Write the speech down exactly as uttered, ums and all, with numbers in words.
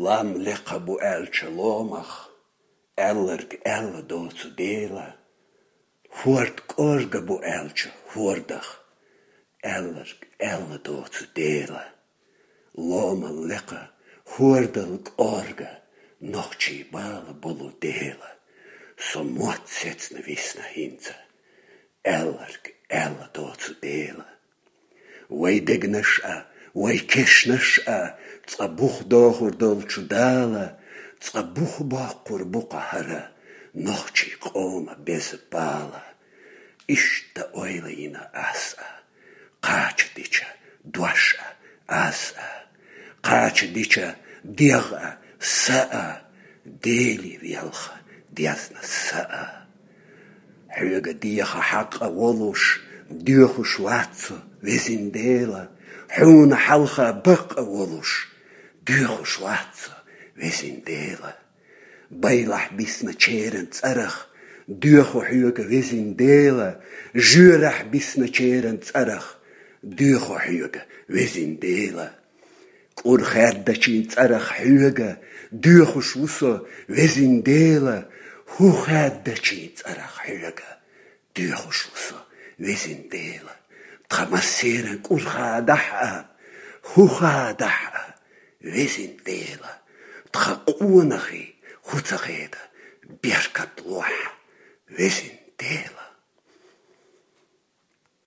Лам лекха бу аьлча ломах, аьлларг аьлла доцу Дела. Хьорд кӀорга бу аьлча хьордах, аьлларг аьлла доцу Дела. Ломал лекха, хьордал кӀорга, нохчий бала болу Дела. Со мотт сецна висна хӀинца, аьлларг аьлла доцу Дела. Вай дегнаш а, вай кешнаш а, цкъа бух дохур долчу Дала, цкъа бух боккхур бу-кх хӀара нохчий къома беза бала. Иштта ойла йина ас а, кхача дича дош а, аз а, кхача дича дегӀ а, са а, Дели велха дезна са а. Хьоьга деха хьакъ а волуш, доьхуш вац со, везин Дела, хьуна хьалха бакъ а волуш, доьхуш вац со, везин Дела. Байлахь бисначеран цӀарах доьху хьоьга, везин Дела, жоьрахь бисначеран цӀарах доьху хьоьга, везин Дела. КӀур хаьддачийн цӀарах хьоьга доьхуш ву со, везин Дела, хӀу хаьддачийн цӀарах хьоьга доьхуш ву со, везин Дела. Тхан массеран кӀур хадахь а, хӀу хадахь а, везин Дела. Тхан къонахий хӀу ца хеда, беркат лохь, везин Дела.